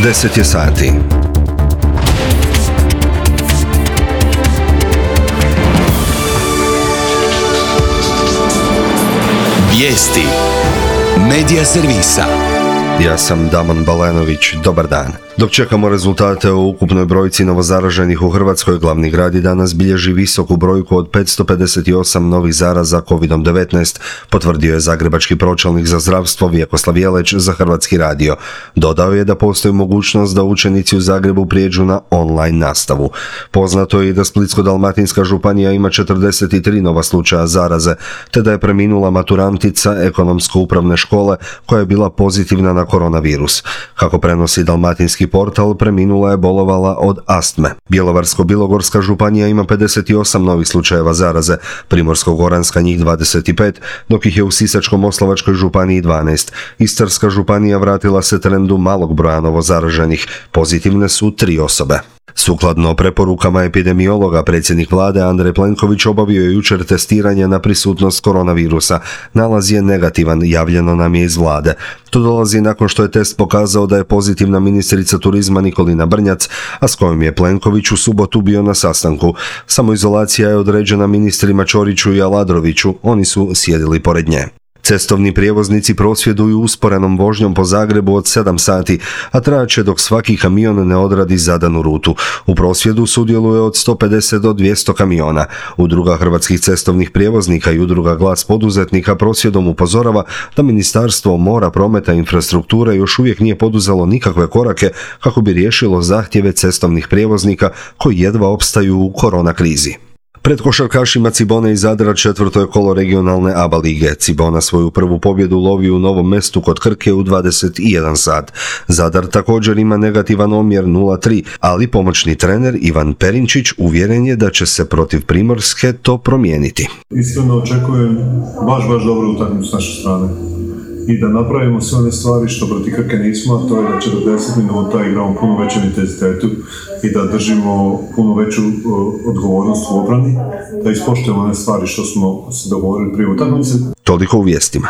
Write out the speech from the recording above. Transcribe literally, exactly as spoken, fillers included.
deset je sati. Vijesti Medija servisa. Ja sam Damon Balenović, dobar dan. Dok čekamo rezultate o ukupnoj brojci novozaraženih u Hrvatskoj, glavni grad i danas bilježi visoku brojku od petsto pedeset osam novih zaraza kovid devetnaest, potvrdio je zagrebački pročelnik za zdravstvo Vjekoslav Jeleć za Hrvatski radio. Dodao je da postoji mogućnost da učenici u Zagrebu prijeđu na online nastavu. Poznato je i da Splitsko-dalmatinska županija ima četrdeset tri nova slučaja zaraze, te da je preminula maturantica ekonomsko-upravne škole koja je bila pozitivna na koronavirus. Kako prenosi dalmatinski portal, preminula je bolovala od astme. Bjelovarsko-bilogorska županija ima pedeset osam novih slučajeva zaraze, Primorsko-goranska njih dvadeset pet, dok ih je u Sisačko-moslavačkoj županiji dvanaest. Istarska županija vratila se trendu malog broja novozaraženih, pozitivne su tri osobe. Sukladno preporukama epidemiologa, predsjednik vlade Andrej Plenković obavio je jučer testiranje na prisutnost koronavirusa. Nalaz je negativan, javljeno nam je iz vlade. To dolazi nakon što je test pokazao da je pozitivna ministrica turizma Nikolina Brnjac, a s kojom je Plenković u subotu bio na sastanku. Samoizolacija je određena ministrima Ćoriću i Aladroviću, oni su sjedili pored nje. Cestovni prijevoznici prosvjeduju usporenom vožnjom po Zagrebu od sedam sati, a trajaće dok svaki kamion ne odradi zadanu rutu. U prosvjedu sudjeluje od sto pedeset do dvjesto kamiona. Udruga hrvatskih cestovnih prijevoznika i udruga Glas poduzetnika prosvjedom upozorava da Ministarstvo mora, prometa i infrastrukture još uvijek nije poduzelo nikakve korake kako bi riješilo zahtjeve cestovnih prijevoznika koji jedva opstaju u korona krizi. Pred košarkašima Cibone iz Zadra četvrto je kolo regionalne A B A lige. Cibona svoju prvu pobjedu lovi u Novom Mestu kod Krke u dvadeset jedan sat. Zadar također ima negativan omjer nula tri, ali pomoćni trener Ivan Perinčić uvjeren je da će se protiv Primorske to promijeniti. Iskreno očekujem baš, baš dobro utakmicu s naše strane i da napravimo sve one stvari što protiv Krke nismo, a to je da četrdeset minuta igramo puno većem intenzitetu i da držimo puno veću odgovornost u obrani, da ispoštujemo one stvari što smo se dogovorili prije utakmice. Toliko u vijestima.